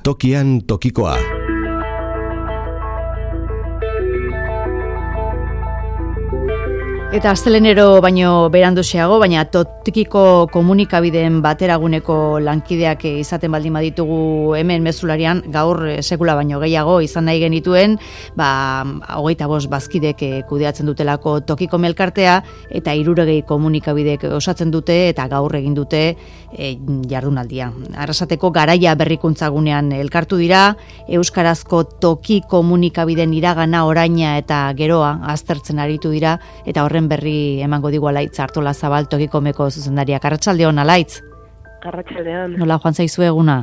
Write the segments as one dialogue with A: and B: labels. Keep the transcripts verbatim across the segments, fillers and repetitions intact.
A: Tokian tokikoa.
B: Eta astelenero baino beranduxeago, baina tokiko komunikabideen bateraguneko lankideak izaten baldin baditugu hemen mezularian, gaur sekula baino gehiago izan nahi genituen, ba, hogeita bost bazkidek kudeatzen dutelako tokiko melkartea, eta hirurogei komunikabidek osatzen dute, eta gaur egin dute e, jardunaldia. Arrasateko Garaia berrikuntzagunean elkartu dira, euskarazko toki komunikabideen iragana, oraina eta geroa aztertzen aritu dira, eta horren berri emango digu Alaitz Artolazabal Tokikomeko zuzendariak. Arratsaldeon, Alaitz.
C: Arratsaldeon.
B: Nola joan zaizu eguna?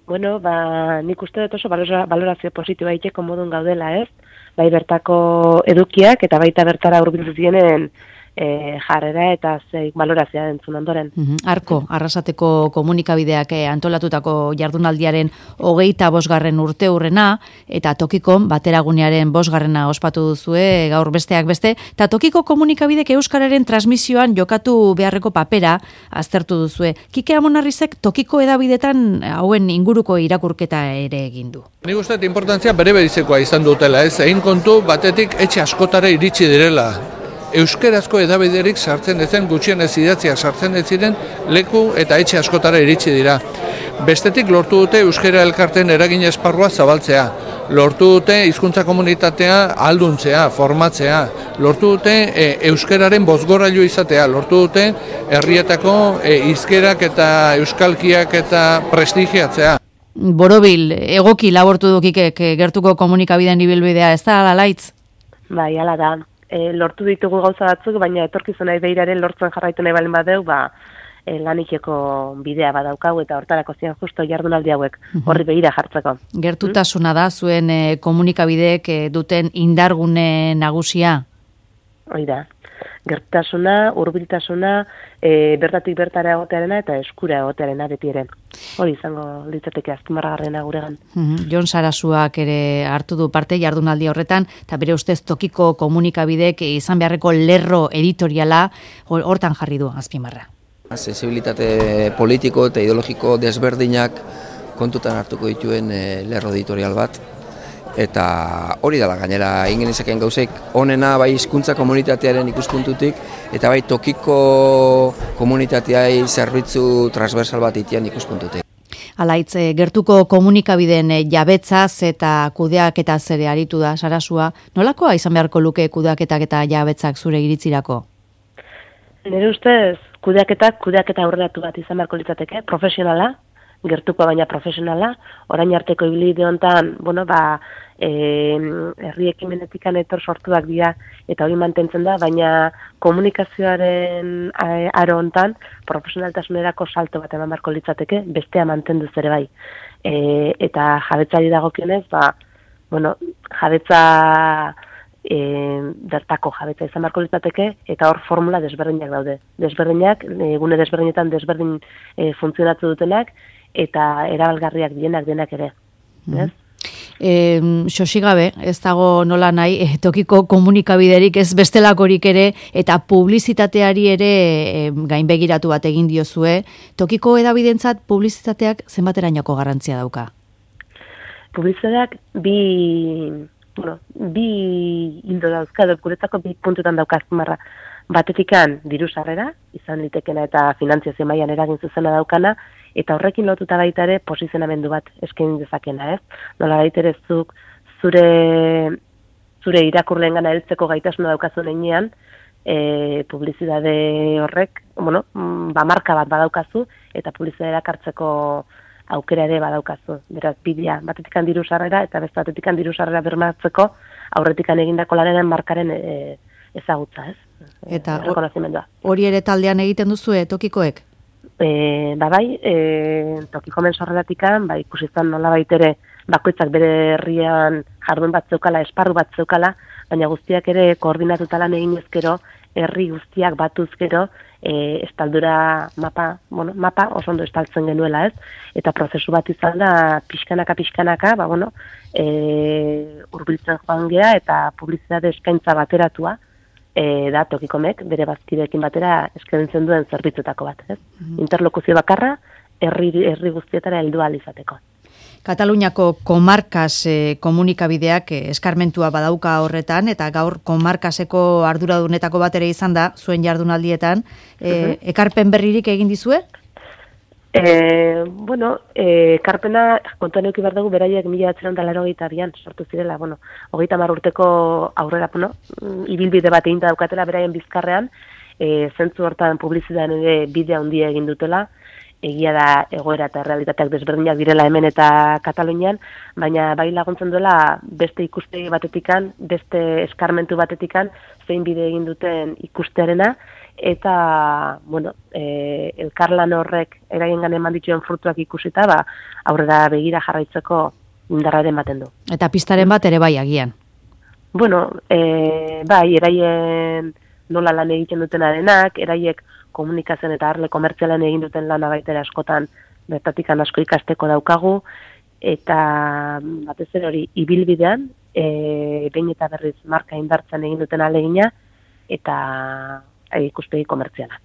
C: Bueno, ba, nik uste dut oso balorazio positiboa iteko modun gaudela, ez? Bai bertako edukiak eta baita bertara hurbildu zienen e, jarrera eta zeik balorazioa entzun ondoren.
B: Uh-huh. Arko, Arrasateko komunikabideak eh, antolatutako jardunaldiaren hogeita bosgarren urte hurrena, eta Tokikon bateragunearen bosgarrena ospatu duzue, gaur besteak beste, eta Tokiko komunikabidek euskararen transmisioan jokatu beharreko papera aztertu duzue. Kike Amonarrizek Tokiko edabidetan hauen inguruko irakurketa ere egin du.
D: Nik uste importantzia bere berezekoa izan dutela, ez? Egin kontu batetik etxe askotara iritsi direla. Euskerazko edabiderik sartzen ezen, gutxienez idatziak sartzen ez ziren leku eta etxe askotara iritsi dira. Bestetik lortu dute euskera elkarten eragin esparrua zabaltzea. Lortu dute hizkuntza komunitatea alduntzea, formatzea. Lortu dute e, euskeraren bozgorailu izatea. Lortu dute herrietako e, hizkerak eta euskalkiak eta prestigiatzea.
B: Borobil, egoki labortu dukikek gertuko komunikabideen ibilbidea, ez da, Alaitz?
C: Bai, hala da. E, lortu ditugu gauza batzuk, baina etorkizunai beiraren lortzen jarraitu nahi balen badeu, ba, e, lanikeko bidea badaukagu eta hortarako zian justo jardunaldi hauek horri begira jartzeko.
B: Gertutasuna da zuen e, komunikabideek e, duten indargune nagusia?
C: Hoi da. Gertutasuna, hurbiltasuna, e, bertatik bertara egotearena eta eskura egotearena beti ere. Hori izango litzateke azpimarragarriena guregan.
B: Mm-hmm. Jon Sarasuak ere hartu du parte jardunaldi horretan, eta bere ustez Tokiko komunikabidek izan beharreko lerro editoriala hortan jarri du azpimarra.
E: Sensibilitate politiko eta ideologiko desberdinak kontutan hartuko dituen e, lerro editorial bat. Eta hori dela gainera egin genezakeen gauzek onena bai hizkuntza komunitatearen ikuspuntutik eta bai tokiko komunitateai zerbitzu transversal bat itian ikuspuntutik.
B: Alaitz, gertuko komunikabideen jabetzaz eta kudeaketaz ere aritu da Sarasua. Nolakoa izan beharko luke kudeaketak eta jabetzak zure iritzirako?
C: Nire ustez, kudeaketak, kudeaketa aurreratu bat izan beharko litzateke, profesionala, gertuko baina profesionala, orain arteko ibilbide hontan, bueno, ba, eh, herri ekimenetikan etor sortuak dira eta hori mantentzen da, baina komunikazioaren aro hontan profesionaltasunerako salto bat eman beharko litzateke, bestea mantenduz ere bai. E, eta jabetzari dagokionez, ba, bueno, jabetza e, bertako jabetza izan beharko litzateke eta hor formula desberdinak daude. Desberdinak, egune desberdinetan desberdin e, funtzionatu dutenak, eta erabalgarriak dienak denak ere.
B: Mm. E, Xosigabe, ez dago nola nahi, e, tokiko komunikabiderik ez bestelakorik ere, eta publizitateari ere e, gainbegiratu bat egin diozue. Tokiko edabidentzat publizitateak zenbaterainoko garrantzia dauka?
C: Publizitateak bi, bueno, bi hildo dauzka, guretzako bi puntutan dauka azpimarra. Batetikan diru sarrera, izan litekena eta finantziazio mailan eragin zuzena daukana, eta horrekin lotuta baita ere posizionamendu bat eskaini dezakena, ez? Nola baitere zuk zure zure irakurleengana heltzeko gaitasuna daukazun heinean, e, publizitate horrek, bueno, ba marka bat badaukazu eta publizitatea hartzeko aukera ere badaukazu. Beraz, bidea, batetikan diru sarrera eta beste batetikan diru sarrera bermatzeko aurretikan egindako lanaren markaren e, ezagutza, ez?
B: Eta hori ere taldean egiten duzue Tokikoek?
C: E, ba bai, e, Tokikomen sorreratikan, ba, ikusi izan nola baitere bakoitzak bere herrian jardun bat zeukala, esparru bat zeukala, baina guztiak ere koordinatuta lan egin ezkero, herri guztiak batuz gero, e, estaldura mapa, bueno, mapa oso ondo estaltzen genuela, ez? Eta prozesu bat izan da pixkanaka pixkanaka, ba bueno, eh hurbiltzen joan gea eta publizitate eskaintza bateratua e, da Tokikomek bere bazkideekin batera eskaintzen duen zerbitzuetako bat, ez? Mm-hmm. Interlokuzio bakarra herri herri guztietara heldu ahal izateko.
B: Kataluniako komarkas eh, komunikabideak eh, eskarmentua badauka horretan, eta gaur komarkaseko arduradunetako bat ere izan da, zuen jardunaldietan. Eh, ekarpen berririk egin dizue?
C: E, bueno, e, karpena, kontuan euki behar dugu, beraiek mila batzeron da laro gitarian, sortu zirela, bueno, hogeita hamar urteko aurrera, bueno, ibilbide bat egin daukatela beraien bizkarrean, e, zentzu hortan publizitatean ere bidea handia egin dutela, egia da egoera eta realitateak desberdinak direla hemen eta Katalunian, baina bai laguntzen duela beste ikuspegi batetikan, beste eskarmentu batetikan, zein bide egin duten ikustearena, eta, bueno, e, elkarlan horrek eraien eman dituen frutuak ikusita, ba, aurrera begira jarraitzeko indarraren ematen du.
B: Eta pistaren bat ere bai agian?
C: Bueno, e, bai, eraien nola lan egiten dutenarenak, eraiek komunikazioan eta arle komertzialan egin duten lana baitera askotan bertatikan asko ikasteko daukagu, eta batez ere hori ibilbidean, e, behin eta berriz marka indartzen egin duten alegina, eta e, ikuspegi komertziala.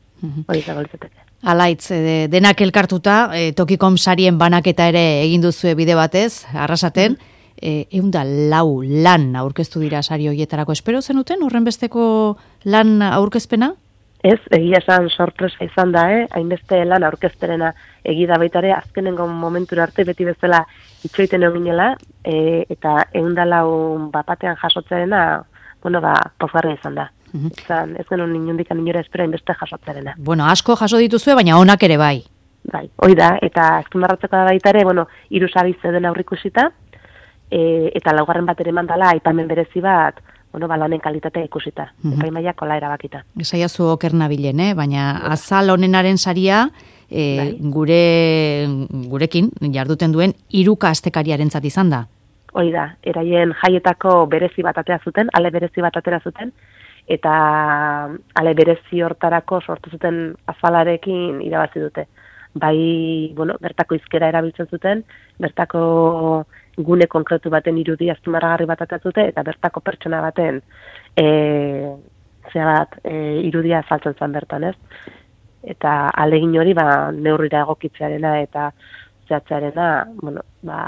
C: Hori zago litzateke.
B: Alaitz, e, denak elkartuta, e, Tokikom sarien banaketa ere egin duzue bide batez, arrasaten, e, eunda lau lan aurkeztu dira sari horietarako. Espero zenuten horren besteko lan aurkezpena?
C: Ez, egia esan sorpresa izan da, eh? Hainbeste lan aurkezterena egida baitare, azkenengo momentura arte beti bezala itxoiten eginela, e, eta eundalau bapatean jasotzearena, bueno, ba, pozgarria izan da. Uh-huh. Izan, ez genuen inundikan inora espero hainbeste jasotzearena.
B: Bueno, asko jaso dituzue, baina onak ere bai.
C: Bai, hoi da, eta azpimarratzeko da baitare, bueno, hiru sari zeuden aurrikusita, e, eta laugarren bat ere mandala, aipamen berezi bat, bueno, balanen kalitatea ikusita, uh-huh. Epaimaiak kola erabakita.
B: Esaiazu oker nabilen, eh? Baina azal honenaren saria e, gure, gurekin jarduten duen hiruka astekariarentzat izan da.
C: Hoi da, eraien jaietako berezi bat atera zuten, ale berezi bat atera zuten, eta ale berezi hortarako sortu zuten azalarekin irabazi dute. Bai, bueno, bertako izkera erabiltzen zuten, bertako gune konkretu baten irudi azpimarragarri bat atatute, eta bertako pertsona baten e, zera bat, e, irudia azaltzen zen bertan, ez? Eta alegin hori, ba, neurrira egokitzearena eta zehatzearena, bueno, ba,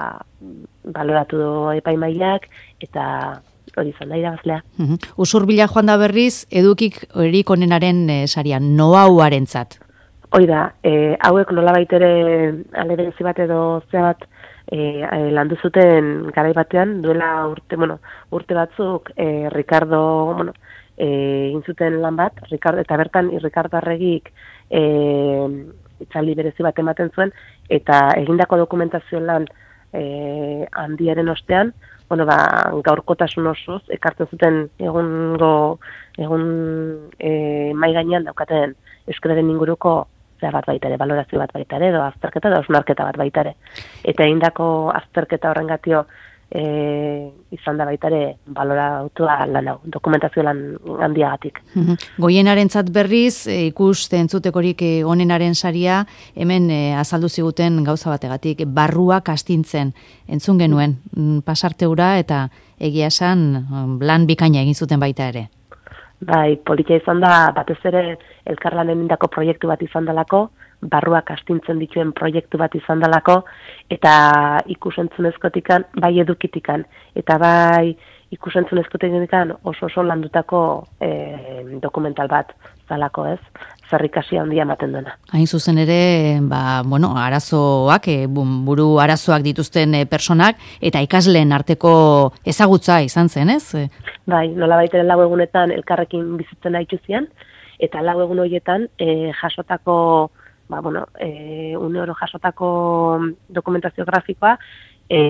C: baloratu du epaimaiak, eta hori izan da irabazlea.
B: Uh-huh. Usurbila joan da berriz, edukik erik onenaren e, sarian, noauarentzat.
C: Hoi da, e, hauek nolabait ere ale berezi bat edo zea bat e, e, landu zuten garai batean, duela urte, bueno, urte batzuk e, Ricardo, bueno, e, egin zuten lan bat, Ricardo, eta bertan Ricardo Arregik e, itzaldi berezi bat ematen zuen, eta egindako dokumentazio lan e, handiaren ostean, bueno, ba, gaurkotasun osoz, ekartzen zuten egungo, egun e, mai gainean daukaten euskararen inguruko zera bat baitare, valorazio bat baitare, edo azterketa, edo osnarketa bat baitare. Eta egindako azterketa horren gatio e, izan da baitare balorautua lan hau, dokumentazio lan handiagatik.
B: Goienarentzat berriz, e, ikuste entzutekorik e, onenaren saria, hemen e, azaldu ziguten gauza bategatik, barruak astintzen, entzun genuen, pasarteura eta egia esan lan bikaina egin zuten baita ere.
C: Bai, politia izan da, batez ere elkarlanen indako proiektu bat izan dalako, barruak astintzen dituen proiektu bat izan dalako, eta ikusentzunezkotikan, bai edukitikan, eta bai ikusentzunezkotikan oso oso landutako e, dokumental bat zalako, ez? Zerrikasi handia ematen duena.
B: Hain zuzen ere, ba, bueno, arazoak, e, buru arazoak dituzten e, personak, eta ikasleen arteko ezagutza izan zen, ez?
C: Bai, nola baiteren lau egunetan elkarrekin bizitzen haitu zian, eta lau egun horietan e, jasotako, ba, bueno, e, une oro jasotako dokumentazio grafikoa, e,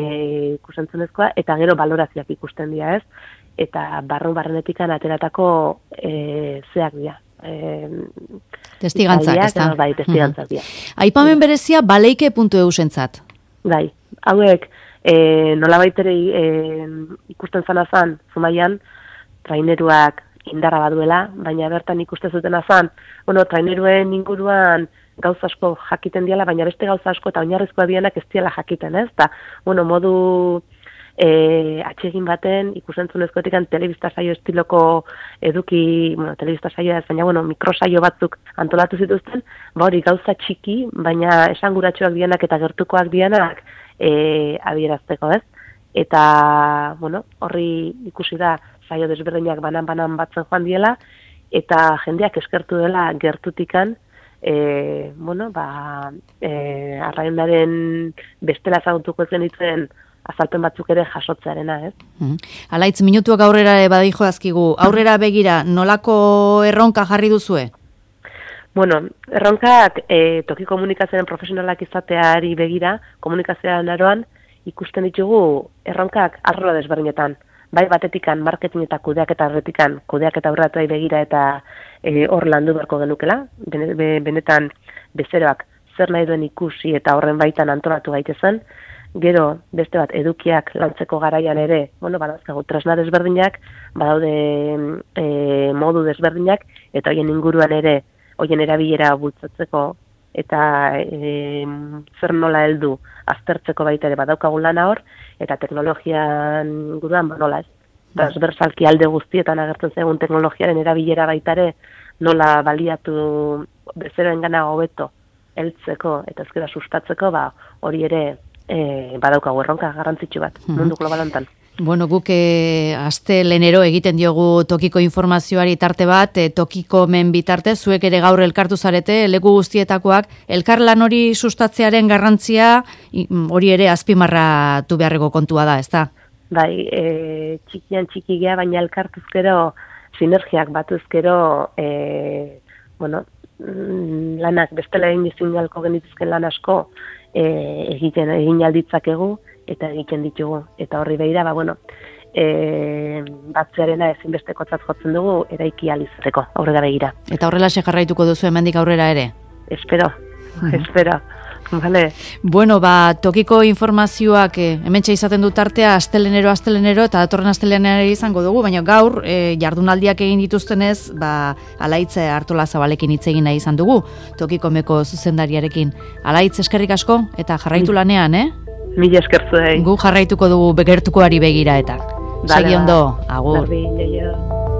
C: ikusentzunezkoa, eta gero balorazioak ikusten dira, ez? Eta barru barrenetikan ateratako e, zeak dira. E,
B: testigantzak, ez da?
C: Bai, testigantzak dira.
B: Aipamen berezia baleike puntu eu zentzat.
C: Bai, hauek, e, nolabait ere e, ikusten zana zan, Zumaian, traineruak indarra baduela, baina bertan ikusten zuten azan, bueno, traineruen inguruan gauza asko jakiten diala, baina beste gauza asko eta oinarrizkoa dianak ez diala jakiten, ez? Ta, bueno, modu e, atsegin baten, ikusentzunezkoetikan telebista saio estiloko eduki, bueno, telebista saioa ez, baina, bueno, mikrosaio batzuk antolatu zituzten, ba hori gauza txiki, baina esanguratsuak dianak eta gertukoak dianak e, adierazteko, ez? Eta, bueno, horri ikusi da saio desberdinak banan-banan batzen joan diela, eta jendeak eskertu dela gertutikan, e, bueno, ba, e, arraionaren bestela zagutuko zen dituen azalpen batzuk ere jasotzearena, ez?
B: Mm. Alaitz, minutuak aurrera badijo azkigu, aurrera begira, nolako erronka jarri duzue?
C: Bueno, erronkak e, toki komunikazioaren profesionalak izateari begira, komunikazioaren aroan, ikusten ditugu erronkak arlo desberdinetan. Bai batetikan, marketing eta kudeak eta horretikan, kudeak eta aurratuai begira eta e, hor landu beharko genukela, benetan bezeroak zer nahi duen ikusi eta horren baitan antolatu gaitezen, gero beste bat edukiak lantzeko garaian ere, bueno, badazkagu tresna desberdinak, badaude e, modu desberdinak, eta hoien inguruan ere, hoien erabilera bultzatzeko, eta e, zer nola heldu aztertzeko baita ere badaukagun lana hor, eta teknologian inguruan ba, nola ez. Transversalki alde guztietan agertzen zaigun teknologiaren erabilera baita ere nola baliatu bezeroen gana hobeto heltzeko eta ezkera sustatzeko, ba, hori ere e, badaukagu erronka garrantzitsu bat mundu globalantan.
B: Bueno, guk e, aste lenero egiten diogu tokiko informazioari tarte bat, e, tokiko men bitarte, zuek ere gaur elkartu zarete, leku guztietakoak, elkarlan hori sustatzearen garrantzia hori ere azpimarratu beharreko kontua da, ezta?
C: Bai, e, txikian txikigea, baina elkartuzkero, sinergiak batuzkero, e, bueno, lanak bestela egin izin galko genituzken lan asko e, egiten egin alditzakegu, eta egiten ditugu, eta horri behira, ba, bueno, e, batzearena ezinbestekotzat jotzen dugu, eraiki alizateko, aurrera begira.
B: Eta horrela jarraituko duzu hemendik aurrera ere?
C: Espero, uh-huh. espero, vale.
B: Bueno, ba, tokiko informazioak eh, hementxe izaten du tartea, astelenero, astelenero, eta datorren astelenero izango dugu, baina gaur, eh, jardunaldiak egin dituztenez, ba, Alaitze Artola Zabalekin hitz egin nahi izan dugu, tokiko meko zuzendariarekin. Alaitz, eskerrik asko, eta jarraitu lanean, eh?
C: Mila eskertzu egin.
B: Gu jarraituko dugu begertukoari begira eta. Segi ondo, agur.
C: Berdin, jaio.